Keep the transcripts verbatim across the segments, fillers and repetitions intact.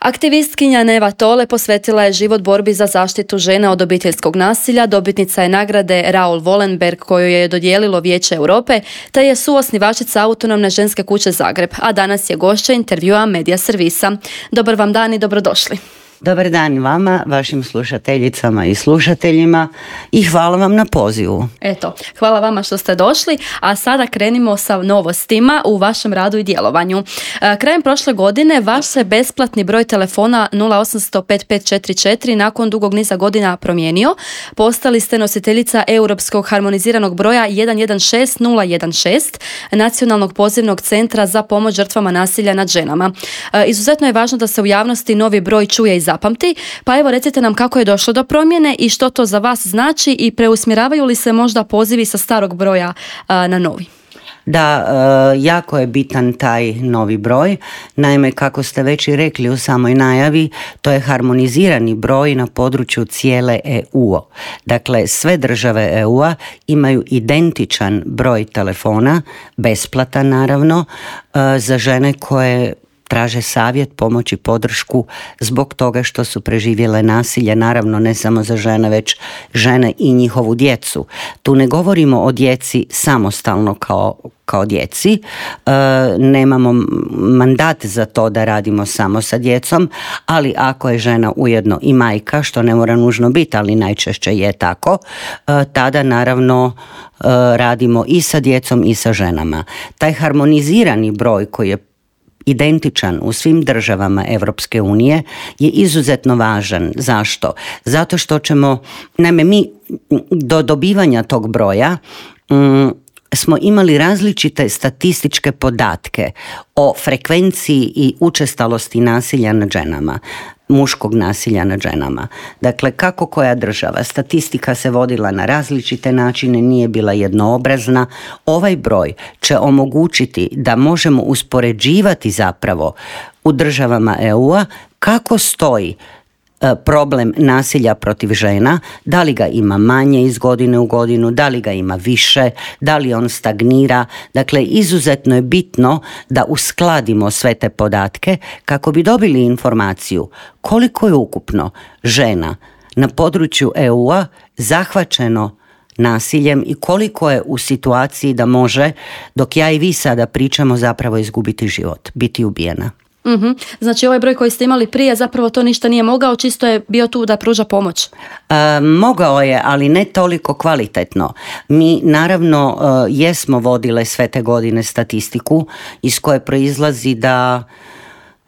Aktivistkinja Neva Tole posvetila je život borbi za zaštitu žena od obiteljskog nasilja, dobitnica je nagrade Raoul Wallenberg koju je dodijelilo Vijeće Europe, te je suosnivačica Autonomne ženske kuće Zagreb, a danas je gošća intervjua Medija servisa. Dobar vam dan i dobrodošli. Dobar dan vama, vašim slušateljicama i slušateljima i hvala vam na pozivu. Eto, hvala vama što ste došli, a sada krenimo sa novostima u vašem radu i djelovanju. Krajem prošle godine vaš se besplatni broj telefona nula osam nula nula pet pet četiri četiri nakon dugog niza godina promijenio. Postali ste nositeljica Europskog harmoniziranog broja jedan jedan šest nula jedan šest, Nacionalnog pozivnog centra za pomoć žrtvama nasilja nad ženama. Izuzetno je važno da se u javnosti novi broj čuje i zapamti, pa evo recite nam kako je došlo do promjene i što to za vas znači i preusmjeravaju li se možda pozivi sa starog broja a, na novi? Da, jako je bitan taj novi broj. Naime, kako ste već i rekli u samoj najavi, to je harmonizirani broj na području cijele E U. Dakle, sve države E U-a imaju identičan broj telefona, besplatan naravno, za žene koje traže savjet, pomoć i podršku zbog toga što su preživjele nasilje, naravno ne samo za žene, već žene i njihovu djecu. Tu ne govorimo o djeci samostalno kao, kao djeci, e, nemamo mandat za to da radimo samo sa djecom, ali ako je žena ujedno i majka, što ne mora nužno biti, ali najčešće je tako, e, tada naravno e, radimo i sa djecom i sa ženama. Taj harmonizirani broj koji je identičan u svim državama Europske unije je izuzetno važan. Zašto? Zato što ćemo, naime, mi do dobivanja tog broja mm, smo imali različite statističke podatke o frekvenciji i učestalosti nasilja nad ženama, muškog nasilja nad ženama. Dakle, kako koja država. Statistika se vodila na različite načine, nije bila jednoobrazna. Ovaj broj će omogućiti da možemo uspoređivati zapravo u državama E U-a kako stoji problem nasilja protiv žena, da li ga ima manje iz godine u godinu, da li ga ima više, da li on stagnira. Dakle, izuzetno je bitno da uskladimo sve te podatke kako bi dobili informaciju koliko je ukupno žena na području E U-a zahvaćeno nasiljem i koliko je u situaciji da može, dok ja i vi sada pričamo, zapravo izgubiti život, biti ubijena. Mm-hmm. Znači ovaj broj koji ste imali prije zapravo to ništa nije mogao, čisto je bio tu da pruža pomoć. E, mogao je, ali ne toliko kvalitetno. Mi naravno e, jesmo vodile sve te godine statistiku iz koje proizlazi da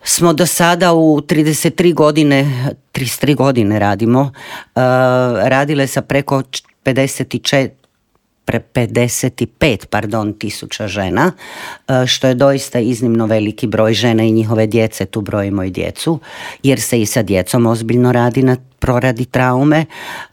smo do sada u trideset tri godine, trideset tri godine radimo, e, radile sa preko pedeset četiri pedeset pet pardon, tisuća žena, što je doista iznimno veliki broj žena i njihove djece, tu brojimo i djecu, jer se i sa djecom ozbiljno radi na proradi traume.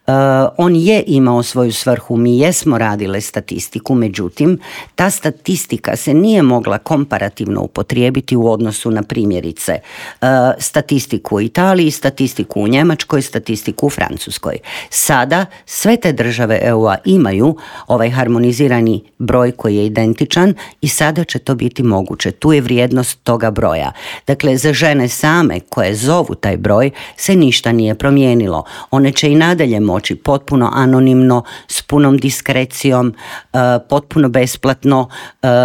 Uh, on je imao svoju svrhu, mi jesmo radile statistiku, međutim, ta statistika se nije mogla komparativno upotrijebiti u odnosu na primjerice uh, statistiku u Italiji, statistiku u Njemačkoj, statistiku u Francuskoj. Sada sve te države E U-a imaju ovaj harmonizirani broj koji je identičan i sada će to biti moguće. Tu je vrijednost toga broja. Dakle, za žene same koje zovu taj broj se ništa nije promijenilo. One će i nadalje moći potpuno anonimno, s punom diskrecijom, potpuno besplatno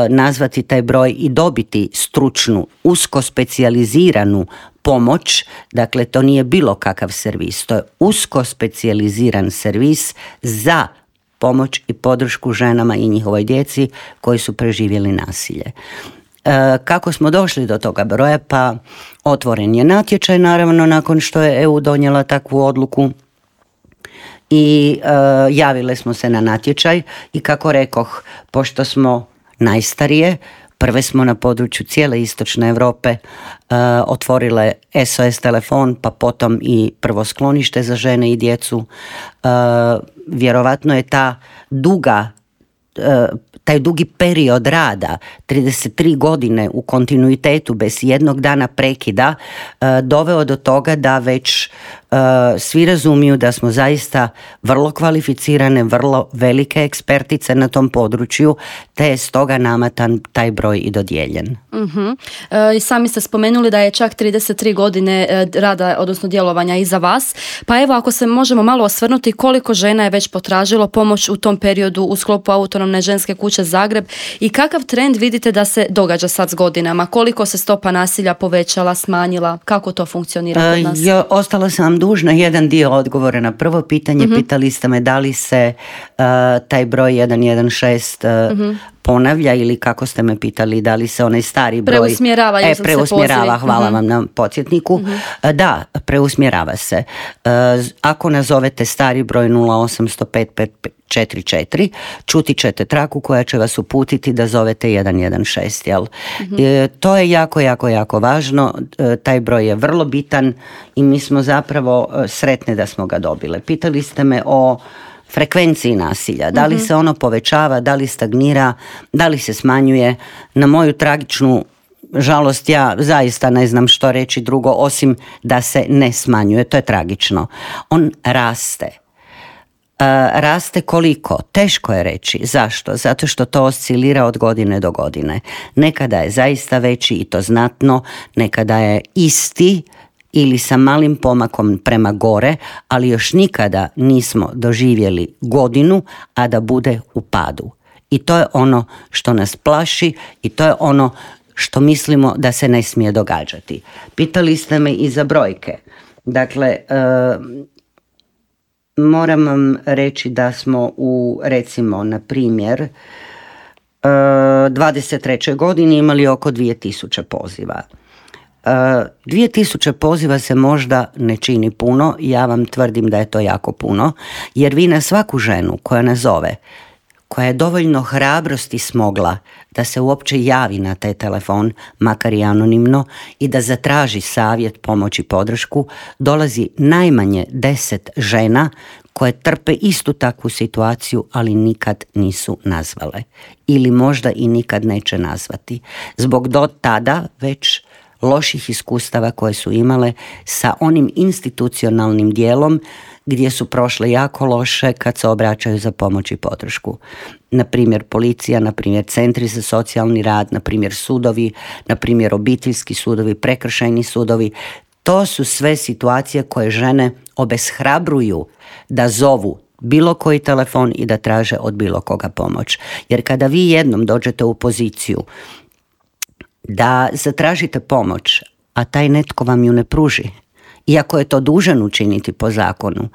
nazvati taj broj i dobiti stručnu, usko specijaliziranu pomoć. Dakle, to nije bilo kakav servis, to je usko specijaliziran servis za pomoć i podršku ženama i njihovoj djeci koji su preživjeli nasilje. Kako smo došli do toga broja? Pa otvoren je natječaj, naravno, nakon što je E U donijela takvu odluku i e, javile smo se na natječaj i kako rekoh, pošto smo najstarije, prve smo na području cijele istočne Europe e, otvorile S O S telefon, pa potom i prvo sklonište za žene i djecu. E, vjerovatno je ta duga taj dugi period rada, trideset tri godine u kontinuitetu bez jednog dana prekida, doveo do toga da već svi razumiju da smo zaista vrlo kvalificirane, vrlo velike ekspertice na tom području, te je stoga nama tan, taj broj i dodijeljen. Uh-huh. E, sami ste spomenuli da je čak trideset tri godine rada, odnosno djelovanja iza vas, pa evo ako se možemo malo osvrnuti koliko žena je već potražilo pomoć u tom periodu u sklopu Autonomne ženske kuće Zagreb i kakav trend vidite da se događa sad s godinama, koliko se stopa nasilja povećala, smanjila, kako to funkcionira kod nas? Uh, ja, ostala sam vam dužna jedan dio odgovora na prvo pitanje. Uh-huh. Pitali ste me da li se uh, taj broj jedan jedan šest uh, uh-huh. ponavlja ili kako ste me pitali, da li se onaj stari broj preusmjerava, e, preusmjerava, hvala uh-huh. vam na podsjetniku. Uh-huh. Da, preusmjerava se. Uh, ako nazovete stari broj nula osam nula pet pet četiri četiri, čuti ćete traku koja će vas uputiti da zovete jedan jedan šest, jel? Uh-huh. E, to je jako, jako, jako važno. E, taj broj je vrlo bitan i mi smo zapravo e, sretne da smo ga dobile. Pitali ste me o frekvenciji nasilja, da li se ono povećava, da li stagnira, da li se smanjuje. Na moju tragičnu žalost ja zaista ne znam što reći drugo osim da se ne smanjuje, to je tragično. On raste. Uh, raste koliko? Teško je reći. Zašto? Zato što to oscilira od godine do godine. Nekada je zaista veći i to znatno, nekada je isti ili sa malim pomakom prema gore, ali još nikada nismo doživjeli godinu, a da bude u padu. I to je ono što nas plaši i to je ono što mislimo da se ne smije događati. Pitali ste me i za brojke. Dakle, uh, moram vam reći da smo u, recimo, na primjer, dvadeset trećoj godini imali oko dvije tisuće poziva. dvije tisuće poziva se možda ne čini puno, ja vam tvrdim da je to jako puno, jer vi na svaku ženu koja nazove, koja je dovoljno hrabrosti smogla da se uopće javi na taj telefon, makar i anonimno, i da zatraži savjet, pomoć i podršku, dolazi najmanje deset žena koje trpe istu takvu situaciju, ali nikad nisu nazvale. Ili možda i nikad neće nazvati. Zbog do tada već loših iskustava koje su imale sa onim institucionalnim dijelom gdje su prošle jako loše kad se obraćaju za pomoć i podršku. Na primjer policija, na primjer centri za socijalni rad, na primjer sudovi, na primjer obiteljski sudovi, prekršajni sudovi. To su sve situacije koje žene obeshrabruju da zovu bilo koji telefon i da traže od bilo koga pomoć. Jer kada vi jednom dođete u poziciju da zatražite pomoć, a taj netko vam ju ne pruži, iako je to dužan učiniti po zakonu,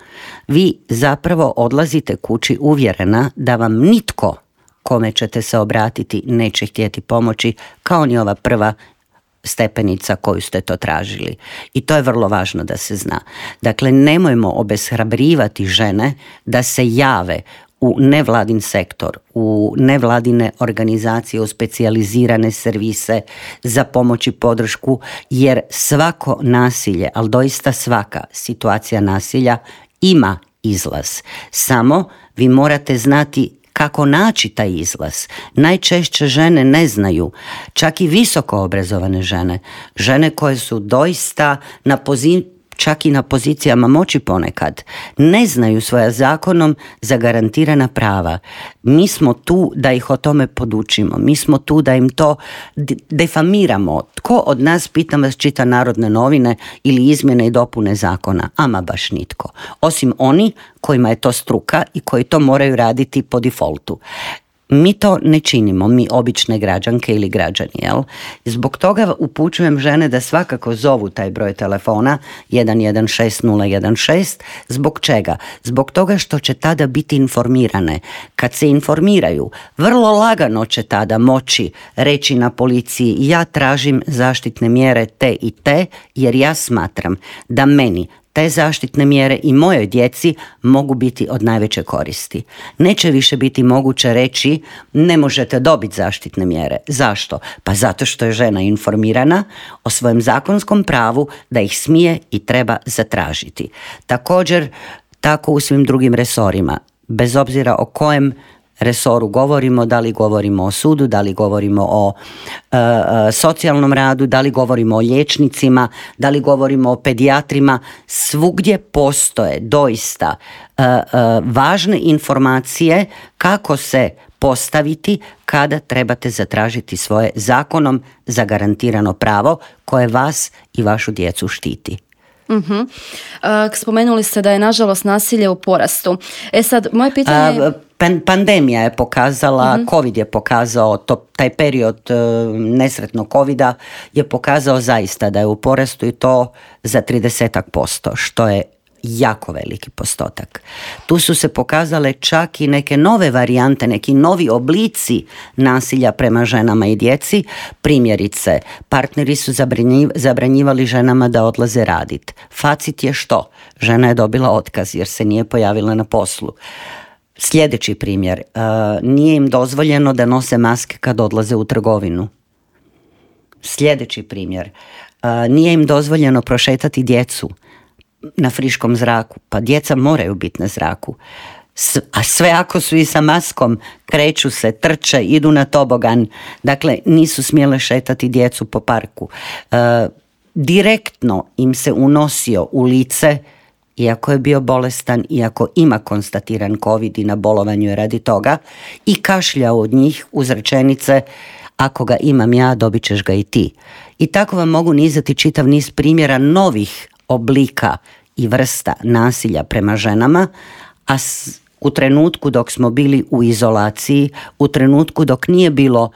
vi zapravo odlazite kući uvjerena da vam nitko kome ćete se obratiti neće htjeti pomoći, kao ni ova prva stepenica koju ste to tražili. I to je vrlo važno da se zna. Dakle, nemojmo obeshrabrivati žene da se jave u nevladin sektor, u nevladine organizacije, u specijalizirane servise za pomoć i podršku, jer svako nasilje, ali doista svaka situacija nasilja ima izlaz. Samo vi morate znati kako naći taj izlaz. Najčešće žene ne znaju, čak i visoko obrazovane žene, žene koje su doista na poziciji, čak i na pozicijama moći ponekad, ne znaju svoja zakonom zagarantirana prava. Mi smo tu da ih o tome podučimo, mi smo tu da im to defamiramo. Tko od nas, pitam vas, čita Narodne novine ili izmjene i dopune zakona? Ama baš nitko. Osim oni kojima je to struka i koji to moraju raditi po defaultu. Mi to ne činimo, mi obične građanke ili građani, jel? Zbog toga upućujem žene da svakako zovu taj broj telefona jedan jedan šest nula jedan šest. Zbog čega? Zbog toga što će tada biti informirane. Kad se informiraju, vrlo lagano će tada moći reći na policiji: ja tražim zaštitne mjere te i te, jer ja smatram da meni te zaštitne mjere i mojoj djeci mogu biti od najveće koristi. Neće više biti moguće reći ne možete dobiti zaštitne mjere. Zašto? Pa zato što je žena informirana o svojem zakonskom pravu da ih smije i treba zatražiti. Također, tako u svim drugim resorima, bez obzira o kojem resoru govorimo, da li govorimo o sudu, da li govorimo o e, e, socijalnom radu, da li govorimo o liječnicima, da li govorimo o pedijatrima, svugdje postoje doista e, e, važne informacije kako se postaviti kada trebate zatražiti svoje zakonom zagarantirano pravo koje vas i vašu djecu štiti. Uh-huh. Uh, spomenuli ste da je nažalost nasilje u porastu. E sad, moje pitanje je... Uh, pandemija je pokazala, uh-huh. COVID je pokazao, to, taj period uh, nesretnog covida je pokazao zaista da je u porastu i to za tridesetak posto, što je jako veliki postotak. Tu su se pokazale čak i neke nove varijante, neki novi oblici nasilja prema ženama i djeci. Primjerice, partneri su zabranjivali ženama da odlaze raditi. Facit je što? Žena je dobila otkaz jer se nije pojavila na poslu. Sljedeći primjer, uh, nije im dozvoljeno da nose maske kad odlaze u trgovinu. Sljedeći primjer, uh, nije im dozvoljeno prošetati djecu na friškom zraku, pa djeca moraju biti na zraku. A sve ako su i sa maskom, kreću se, trče, idu na tobogan, dakle nisu smjele šetati djecu po parku. E, direktno im se unosio u lice, iako je bio bolestan, iako ima konstatiran COVID i na bolovanju je radi toga, i kašljao od njih uz rečenice: ako ga imam ja, dobit ćeš ga i ti. I tako vam mogu nizati čitav niz primjera novih oblika i vrsta nasilja prema ženama, a s, u trenutku dok smo bili u izolaciji, u trenutku dok nije bilo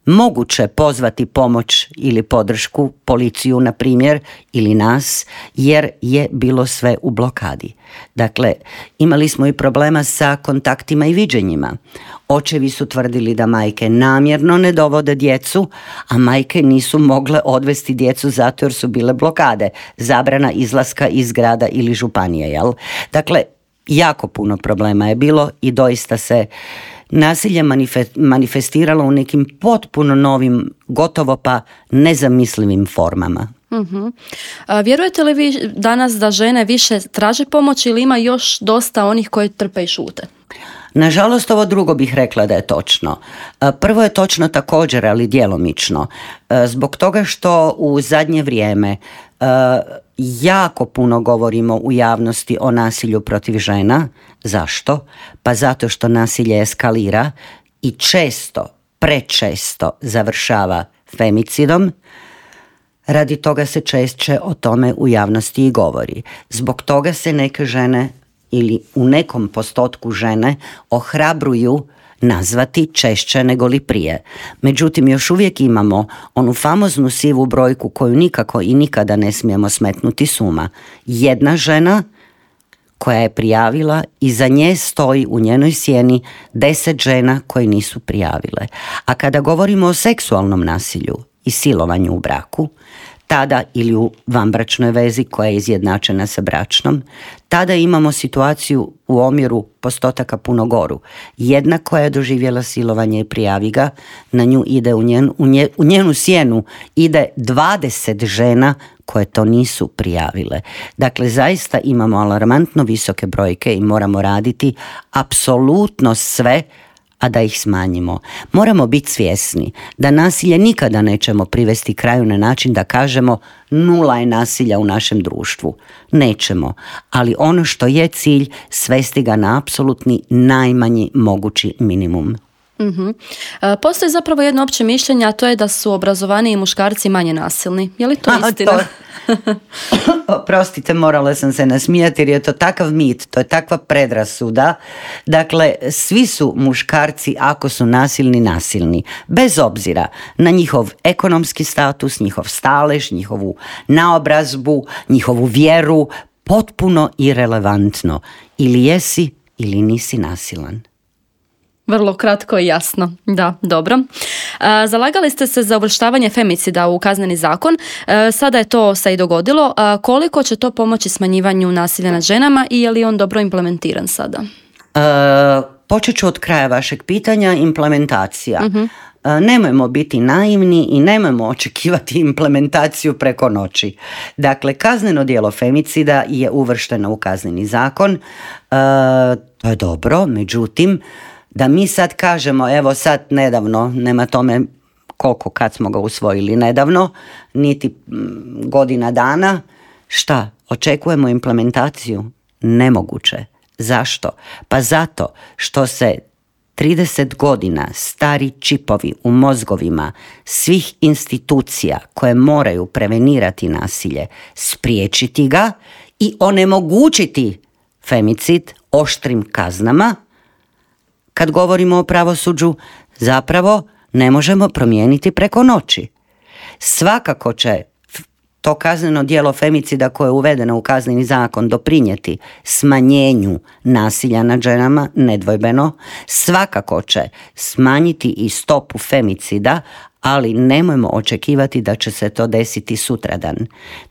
moguće pozvati pomoć ili podršku, policiju na primjer, ili nas, jer je bilo sve u blokadi. Dakle, imali smo i problema sa kontaktima i viđenjima. Očevi su tvrdili da majke namjerno ne dovode djecu, a majke nisu mogle odvesti djecu zato jer su bile blokade, zabrana izlaska iz grada ili županije, jel? Dakle, jako puno problema je bilo i doista se nasilje manifestiralo u nekim potpuno novim, gotovo pa nezamislivim formama. Uh-huh. A vjerujete li vi danas da žene više traže pomoć ili ima još dosta onih koji trpe i šute? Nažalost, ovo drugo bih rekla da je točno. Prvo je točno također, ali djelomično. Zbog toga što u zadnje vrijeme jako puno govorimo u javnosti o nasilju protiv žena. Zašto? Pa zato što nasilje eskalira i često, prečesto završava femicidom. Radi toga se češće o tome u javnosti i govori. Zbog toga se neke žene ili u nekom postotku žene ohrabruju nazvati češće nego li prije. Međutim, još uvijek imamo onu famoznu sivu brojku koju nikako i nikada ne smijemo smetnuti s uma. Jedna žena koja je prijavila i za nje stoji u njenoj sjeni deset žena koje nisu prijavile. A kada govorimo o seksualnom nasilju i silovanju u braku, tada ili u vanbračnoj vezi koja je izjednačena sa bračnom, tada imamo situaciju u omjeru postotaka puno goru. Jedna koja je doživjela silovanje i prijavi ga, na nju ide u njenu, u nje, u njenu sjenu ide dvadeset žena koje to nisu prijavile. Dakle, zaista imamo alarmantno visoke brojke i moramo raditi apsolutno sve, a da ih smanjimo. Moramo biti svjesni da nasilje nikada nećemo privesti kraju na način da kažemo nula je nasilja u našem društvu. Nećemo, ali ono što je cilj, svesti ga na apsolutni najmanji mogući minimum. Uh-huh. Postoji zapravo jedno opće mišljenje, a to je da su obrazovaniji muškarci manje nasilni. Je li to a, istina? To... Oprostite, morala sam se nasmijati jer je to takav mit, to je takva predrasuda. Dakle, svi su muškarci, ako su nasilni, nasilni. Bez obzira na njihov ekonomski status, njihov stalež, njihovu naobrazbu, njihovu vjeru, potpuno irelevantno. Ili jesi ili nisi nasilan. Vrlo kratko i jasno. Da, dobro. E, zalagali ste se za uvrštavanje femicida u kazneni zakon. E, sada je to se i dogodilo. E, koliko će to pomoći smanjivanju nasilja nad ženama i je li on dobro implementiran sada? E, počet ću od kraja vašeg pitanja, implementacija. Uh-huh. E, nemojmo biti naivni i nemojmo očekivati implementaciju preko noći. Dakle, kazneno djelo femicida je uvršteno u kazneni zakon. E, to je dobro, međutim, Da mi sad kažemo, evo sad nedavno, nema tome koliko kad smo ga usvojili nedavno, niti godina dana, šta, očekujemo implementaciju? Nemoguće. Zašto? Pa zato što se trideset godina stari čipovi u mozgovima svih institucija koje moraju prevenirati nasilje, spriječiti ga i onemogućiti femicid oštrim kaznama. Kad govorimo o pravosuđu, zapravo ne možemo promijeniti preko noći. Svakako će to kazneno djelo femicida koje je uvedeno u Kazneni zakon doprinijeti smanjenju nasilja nad ženama, nedvojbeno. Svakako će smanjiti i stopu femicida, ali nemojmo očekivati da će se to desiti sutradan.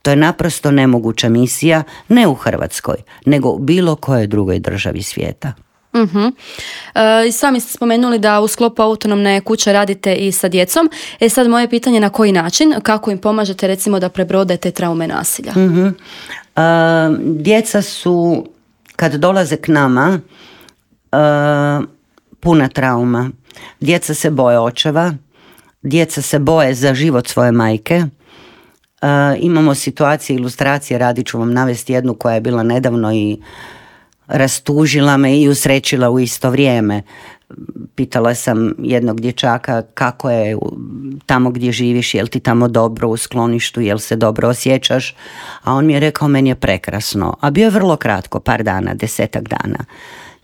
To je naprosto nemoguća misija, ne u Hrvatskoj, nego u bilo kojoj drugoj državi svijeta. Uh-huh. E, sami ste spomenuli da u sklopu autonomne kuće radite i sa djecom. E sad moje pitanje, na koji način, kako im pomažete recimo da prebrode te traume nasilja? Uh-huh. E, djeca su, kad dolaze k nama, e, puna trauma. Djeca se boje očeva, djeca se boje za život svoje majke. E, imamo situacije, ilustracije, radit ću vam navesti jednu koja je bila nedavno i rastužila me i usrećila u isto vrijeme. Pitala sam jednog dječaka kako je tamo gdje živiš, jel ti tamo dobro u skloništu, jel se dobro osjećaš, a on mi je rekao meni je prekrasno, a bio je vrlo kratko, par dana, desetak dana.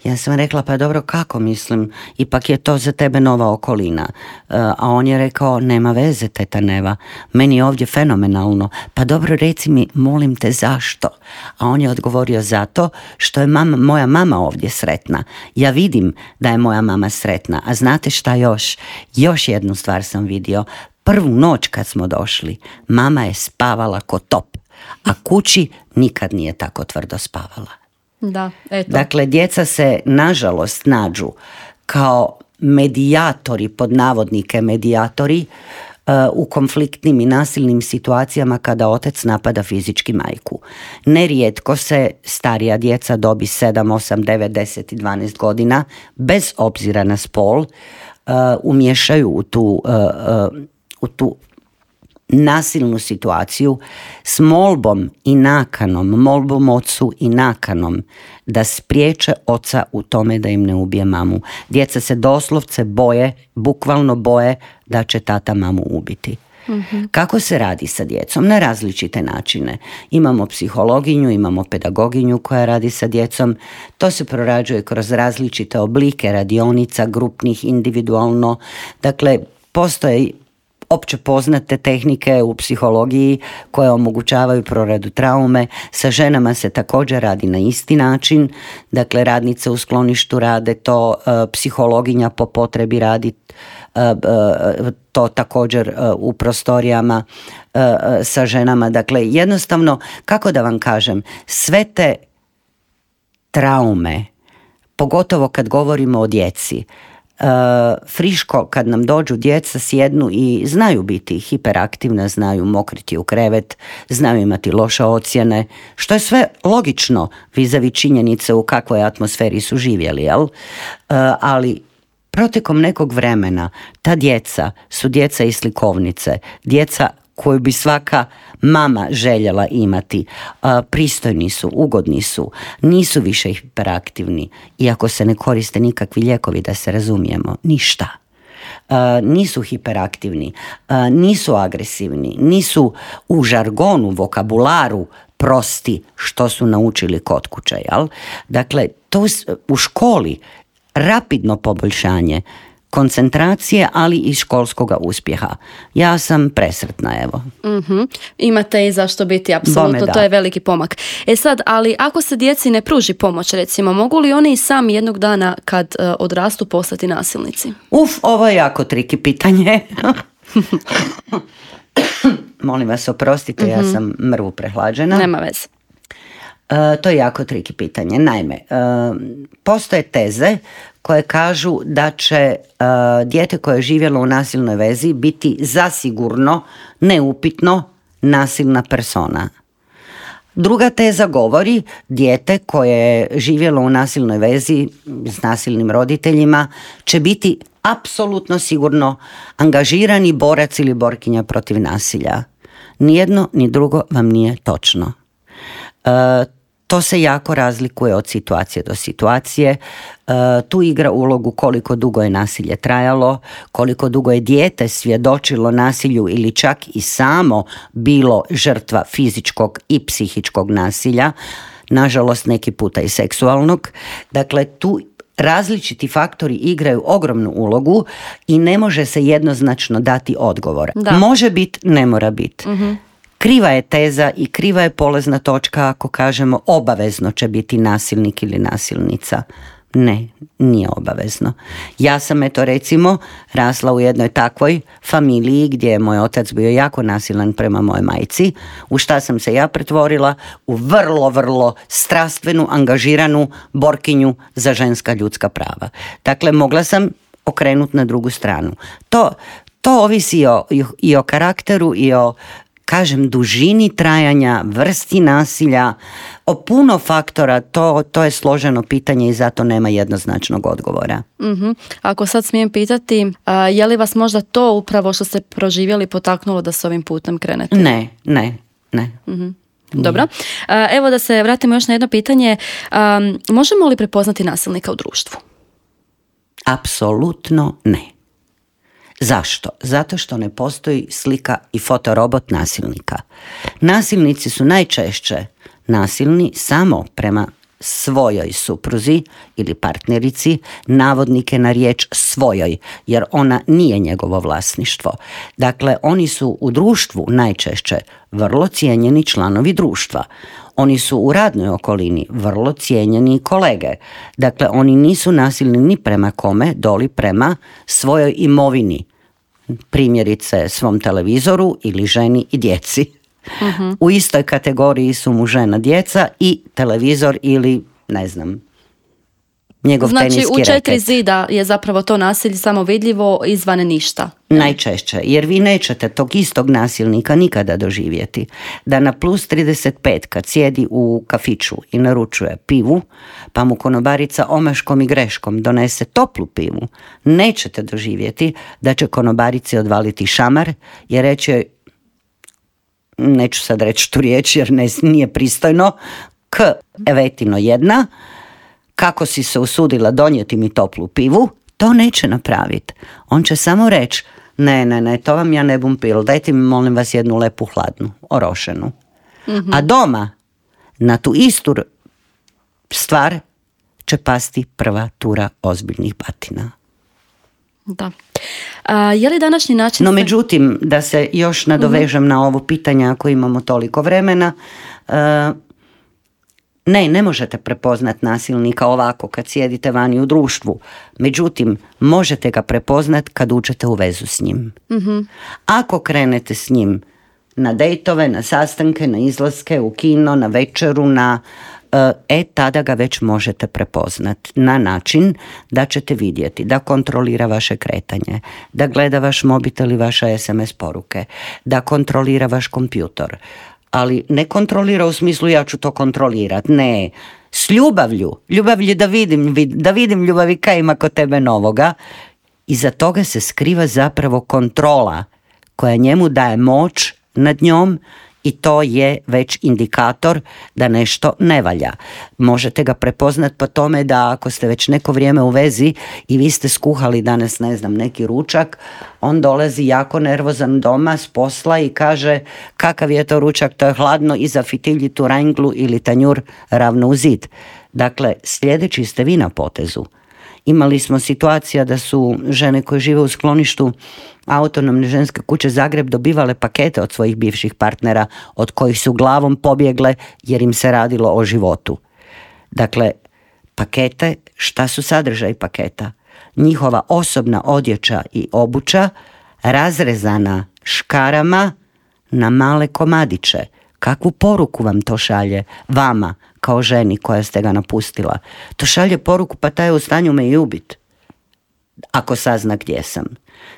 Ja sam rekla, pa dobro, kako, mislim, ipak je to za tebe nova okolina. A on je rekao, nema veze, teta Neva, meni je ovdje fenomenalno. Pa dobro, reci mi, molim te, zašto? A on je odgovorio, zato što je mama, moja mama ovdje sretna. Ja vidim da je moja mama sretna. A znate šta još? Još jednu stvar sam vidio. Prvu noć kad smo došli, mama je spavala ko top, a kući nikad nije tako tvrdo spavala. Da, eto. Dakle, djeca se nažalost nađu kao medijatori, pod navodnike medijatori, uh, u konfliktnim i nasilnim situacijama kada otac napada fizički majku. Nerijetko se starija djeca dobi sedam, osam, devet, deset i dvanaest godina, bez obzira na spol, uh, umješaju u tu, uh, uh, u tu nasilnu situaciju s molbom i nakanom, molbom ocu i nakanom da spriječe oca u tome da im ne ubije mamu. Djeca se doslovce boje, bukvalno boje da će tata mamu ubiti. Mm-hmm. Kako se radi sa djecom? Na različite načine. Imamo psihologinju, imamo pedagoginju koja radi sa djecom. To se prorađuje kroz različite oblike radionica, grupnih, individualno. Dakle, postoje opće poznate tehnike u psihologiji koje omogućavaju proradu traume. Sa ženama se također radi na isti način. Dakle, radnice u skloništu rade to, psihologinja po potrebi radi to također u prostorijama sa ženama. Dakle, jednostavno, kako da vam kažem, sve te traume, pogotovo kad govorimo o djeci, Uh, friško kad nam dođu djeca sjednu i znaju biti hiperaktivna, znaju mokriti u krevet, znaju imati loše ocjene, što je sve logično vis-a-vis činjenice u kakvoj atmosferi su živjeli, jel? Uh, ali protekom nekog vremena ta djeca su djeca iz slikovnice, djeca koju bi svaka mama željela imati. Pristojni su, ugodni su, nisu više hiperaktivni, iako se ne koriste nikakvi lijekovi, da se razumijemo, ništa. Nisu hiperaktivni, nisu agresivni, nisu u žargonu, vokabularu prosti što su naučili kod kuće. Jel? Dakle, to u školi rapidno poboljšanje koncentracije, ali i školskoga uspjeha. Ja sam presretna, evo. Mm-hmm. Imate i zašto biti, apsolutno, to je veliki pomak. E sad, ali ako se djeci ne pruži pomoć, recimo, mogu li oni i sami jednog dana kad uh, odrastu postati nasilnici? Uf, ovo je jako triki pitanje. Molim vas, oprostite, mm-hmm. ja sam mrvu prehlađena. Nema veze. Uh, to je jako triki pitanje. Naime, uh, postoje teze koje kažu da će uh, dijete koje je živjelo u nasilnoj vezi biti zasigurno, neupitno, nasilna persona. Druga teza govori dijete koje je živjelo u nasilnoj vezi s nasilnim roditeljima će biti apsolutno sigurno angažirani borac ili borkinja protiv nasilja. Nijedno ni drugo vam nije točno. E, to se jako razlikuje od situacije do situacije. E, tu igra ulogu koliko dugo je nasilje trajalo, koliko dugo je dijete svjedočilo nasilju ili čak i samo bilo žrtva fizičkog i psihičkog nasilja, nažalost neki puta i seksualnog. Dakle, tu različiti faktori igraju ogromnu ulogu i ne može se jednoznačno dati odgovor. Da. Može biti, ne mora biti. Uh-huh. Kriva je teza i kriva je polazna točka ako kažemo obavezno će biti nasilnik ili nasilnica. Ne, nije obavezno. Ja sam eto recimo rasla u jednoj takvoj familiji gdje je moj otac bio jako nasilan prema mojoj majci. U šta sam se ja pretvorila? U vrlo, vrlo strastvenu, angažiranu borkinju za ženska ljudska prava. Dakle, mogla sam okrenuti na drugu stranu. To, to ovisi i o, i o karakteru i o, kažem, dužini trajanja, vrsti nasilja, o puno faktora, to, to je složeno pitanje i zato nema jednoznačnog odgovora. Mm-hmm. Ako sad smijem pitati, a, je li vas možda to upravo što ste proživjeli potaknulo da s ovim putem krenete? Ne, ne, ne. Mm-hmm. Dobro. A, evo da se vratimo još na jedno pitanje. A, možemo li prepoznati nasilnika u društvu? Apsolutno ne. Zašto? Zato što ne postoji slika i fotorobot nasilnika. Nasilnici su najčešće nasilni samo prema svojoj supruzi ili partnerici, navodnike na riječ svojoj, jer ona nije njegovo vlasništvo. Dakle, oni su u društvu najčešće vrlo cijenjeni članovi društva. Oni su u radnoj okolini vrlo cijenjeni kolege. Dakle, oni nisu nasilni ni prema kome, doli prema svojoj imovini. Primjerice svom televizoru ili ženi i djeci. Uh-huh. U istoj kategoriji su mu žena, djeca i televizor ili, ne znam, njegov znači, teniski reket. Znači u četiri zida je zapravo to nasilje samo vidljivo, izvan ništa. Najčešće, jer vi nećete tog istog nasilnika nikada doživjeti. Da na plus trideset pet kad sjedi u kafiću i naručuje pivu, pa mu konobarica omaškom i greškom donese toplu pivu, nećete doživjeti da će konobarici odvaliti šamar i reći joj, neću sad reći tu riječ jer ne, nije pristojno, k evetino jedna, kako si se usudila donijeti mi toplu pivu, to neće napraviti. On će samo reći, ne, ne, ne, to vam ja ne bum pil, dajte mi molim vas jednu lepu hladnu, orošenu. Mm-hmm. A doma, na tu istu stvar, će pasti prva tura ozbiljnih batina. Da. A, je li današnji način... No, međutim, da se još nadovežem mm-hmm. na ovo pitanje ako imamo toliko vremena, uh, ne, ne možete prepoznat nasilnika ovako kad sjedite vani u društvu. Međutim, možete ga prepoznat kad uđete u vezu s njim. Mm-hmm. Ako krenete s njim na dejtove, na sastanke, na izlaske, u kino, na večeru, na... E, tada ga već možete prepoznat na način da ćete vidjeti da kontrolira vaše kretanje, da gleda vaš mobitel i vaše es em es poruke, da kontrolira vaš kompjutor. Ali ne kontrolira u smislu ja ću to kontrolirat, ne, s ljubavlju, ljubavlju da vidim, da vidim ljubavi kaj ima kod tebe novoga. Iza toga se skriva zapravo kontrola koja njemu daje moć nad njom i to je već indikator da nešto ne valja. Možete ga prepoznat po tome da ako ste već neko vrijeme u vezi i vi ste skuhali danas, ne znam, neki ručak, on dolazi jako nervozan doma s posla i kaže kakav je to ručak, to je hladno i zafitilji tu ranglu ili tanjur ravno u zid. Dakle, sljedeći ste vi na potezu. Imali smo situacija da su žene koje žive u skloništu Autonomne ženske kuće Zagreb dobivale pakete od svojih bivših partnera od kojih su glavom pobjegle jer im se radilo o životu. Dakle, pakete, šta su sadržaj paketa? Njihova osobna odjeća i obuća razrezana škarama na male komadiće. Kakvu poruku vam to šalje vama kao ženi koja ste ga napustila? To šalje poruku pa taj je u stanju me i ubiti ako sazna gdje sam.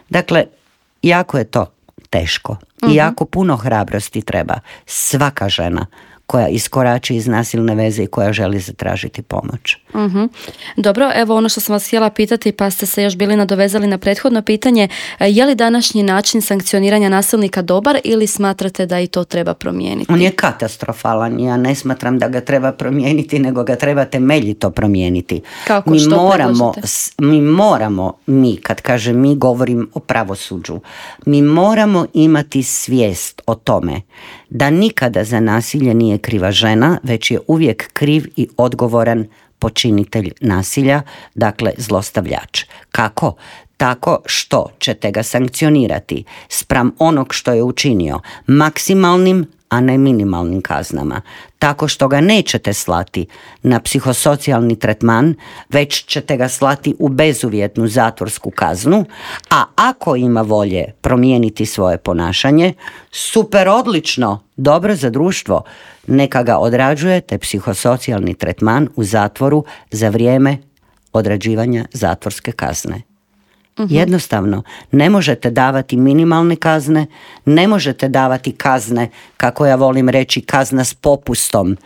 Dakle, jako je to teško i jako puno hrabrosti treba. Svaka žena koja iskorači iz nasilne veze i koja želi zatražiti pomoć. Uh-huh. Dobro, evo ono što sam vas htjela pitati, pa ste se još bili nadovezali na prethodno pitanje, je li današnji način sankcioniranja nasilnika dobar ili smatrate da i to treba promijeniti? On je katastrofalan, ja ne smatram da ga treba promijeniti, nego ga treba temeljito promijeniti. Kako, mi što moramo, predlažete? mi moramo, mi, kad kažem mi, govorim o pravosuđu, mi moramo imati svijest o tome da nikada za nasilje nije kriva žena, već je uvijek kriv i odgovoran počinitelj nasilja, dakle zlostavljač. Kako? Tako što ćete ga sankcionirati spram onog što je učinio maksimalnim, a ne minimalnim kaznama. Tako što ga nećete slati na psihosocijalni tretman, već ćete ga slati u bezuvjetnu zatvorsku kaznu, a ako ima volje promijeniti svoje ponašanje, super, odlično, dobro za društvo, neka ga odrađujete psihosocijalni tretman u zatvoru za vrijeme odrađivanja zatvorske kazne. Uh-huh. Jednostavno, ne možete davati minimalne kazne, ne možete davati kazne, kako ja volim reći, kazna s popustom,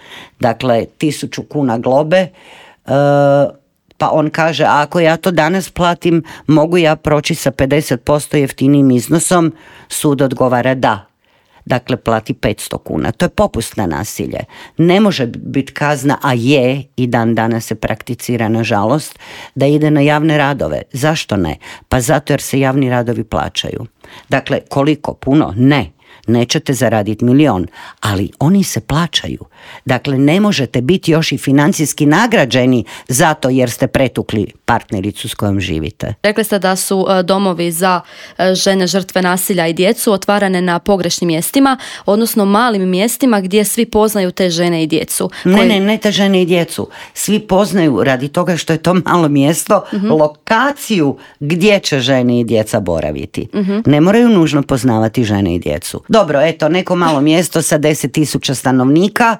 dakle tisuću kuna globe, e, pa on kaže, ako ja to danas platim, mogu ja proći sa pedeset posto jeftinijim iznosom, sud odgovara da. Dakle, plati petsto kuna. To je popust na nasilje. Ne može biti kazna, a je i dan danas se prakticira, nažalost, da ide na javne radove. Zašto ne? Pa zato jer se javni radovi plaćaju. Dakle, koliko? Puno? Ne. Nećete zaraditi milion, ali oni se plaćaju. Dakle, ne možete biti još i financijski nagrađeni zato jer ste pretukli partnericu s kojom živite. Rekli ste da su domovi za žene žrtve nasilja i djecu otvarane na pogrešnim mjestima, odnosno malim mjestima gdje svi poznaju te žene i djecu. Ne, koji... ne, ne te žene i djecu. Svi poznaju radi toga što je to malo mjesto, uh-huh. lokaciju gdje će žene i djeca boraviti. Uh-huh. Ne moraju nužno poznavati žene i djecu. Dobro, eto, neko malo mjesto sa deset tisuća stanovnika,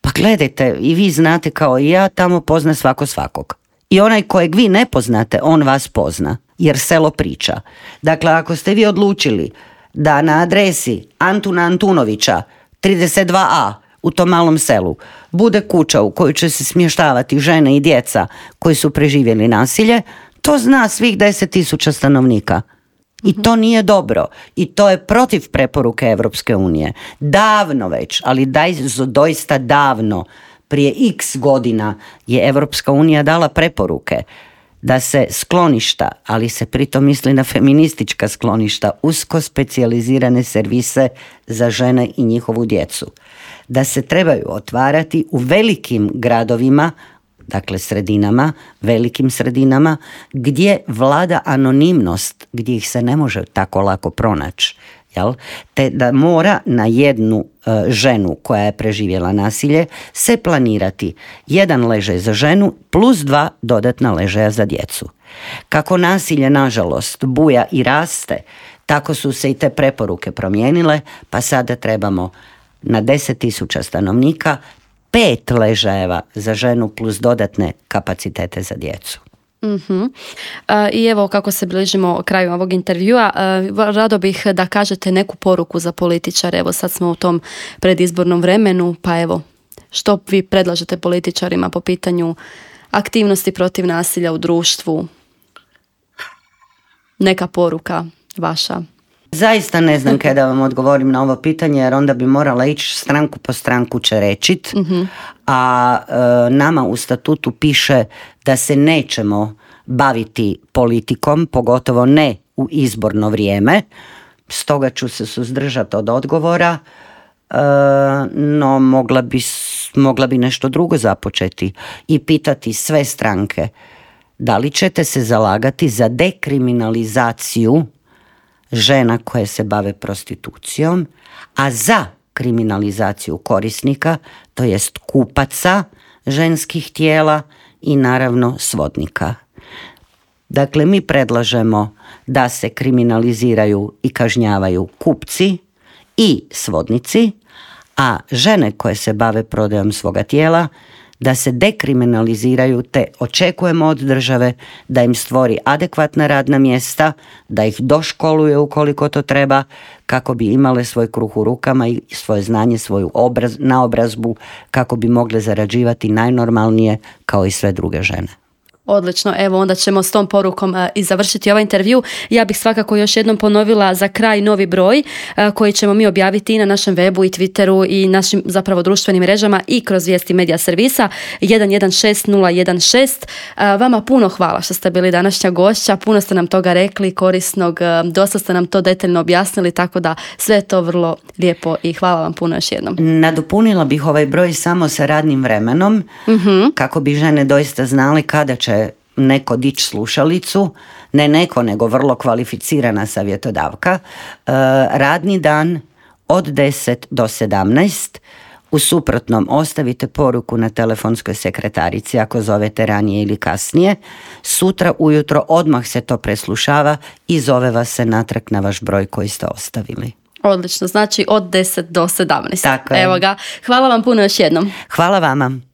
pa gledajte, i vi znate kao i ja, tamo pozna svako svakog. I onaj kojeg vi ne poznate, on vas pozna, jer selo priča. Dakle, ako ste vi odlučili da na adresi Antuna Antunovića trideset dva a u tom malom selu bude kuća u kojoj će se smještavati žene i djeca koji su preživjeli nasilje, to zna svih deset tisuća stanovnika. I to nije dobro. I to je protiv preporuke Europske unije. Davno već, ali daj, doista davno, prije x godina je Europska unija dala preporuke da se skloništa, ali se pritom misli na feministička skloništa, usko specijalizirane servise za žene i njihovu djecu, da se trebaju otvarati u velikim gradovima, dakle sredinama, velikim sredinama, gdje vlada anonimnost, gdje ih se ne može tako lako pronaći. Jel? Te da mora na jednu e, ženu koja je preživjela nasilje se planirati jedan ležaj za ženu plus dva dodatna ležaja za djecu. Kako nasilje, nažalost, buja i raste, tako su se i te preporuke promijenile, pa sada trebamo na deset tisuća stanovnika pet ležajeva za ženu plus dodatne kapacitete za djecu. Uh-huh. Uh, I evo kako se bližimo kraju ovog intervjua, uh, rado bih da kažete neku poruku za političare. Evo sad smo u tom predizbornom vremenu, pa evo, što vi predlažete političarima po pitanju aktivnosti protiv nasilja u društvu? Neka poruka vaša. Zaista ne znam kada vam odgovorim na ovo pitanje, jer onda bi morala ići stranku po stranku čerečit, uh-huh. a e, nama u statutu piše da se nećemo baviti politikom, pogotovo ne u izborno vrijeme, stoga ću se suzdržati od odgovora, e, no mogla bi, mogla bi nešto drugo započeti i pitati sve stranke da li ćete se zalagati za dekriminalizaciju žena koje se bave prostitucijom, a za kriminalizaciju korisnika, to jest kupaca ženskih tijela i naravno svodnika. Dakle, mi predlažemo da se kriminaliziraju i kažnjavaju kupci i svodnici, a žene koje se bave prodajom svoga tijela da se dekriminaliziraju, te očekujemo od države da im stvori adekvatna radna mjesta, da ih doškoluje ukoliko to treba, kako bi imale svoj kruh u rukama i svoje znanje, svoju obraz, naobrazbu, kako bi mogle zarađivati najnormalnije kao i sve druge žene. Odlično, evo onda ćemo s tom porukom uh, i završiti ovaj intervju. Ja bih svakako još jednom ponovila za kraj novi broj uh, koji ćemo mi objaviti i na našem webu i Twitteru i našim zapravo društvenim mrežama i kroz vijesti medija servisa jedan jedan šest nula jedan šest. Uh, vama puno hvala što ste bili današnja gošća, puno ste nam toga rekli, korisnog, uh, dosta ste nam to detaljno objasnili, tako da sve je to vrlo lijepo i hvala vam puno još jednom. Nadopunila bih ovaj broj samo sa radnim vremenom, uh-huh. kako bi žene doista znali kada će neko dići slušalicu, ne neko, nego vrlo kvalificirana savjetodavka. E, radni dan od deset do sedamnaest. U suprotnom ostavite poruku na telefonskoj sekretarici ako zovete ranije ili kasnije. Sutra ujutro odmah se to preslušava i zove vas se natrag na vaš broj koji ste ostavili. Odlično, znači od deset do sedamnaest. Tako je. Evo ga. Hvala vam puno još jednom. Hvala vama.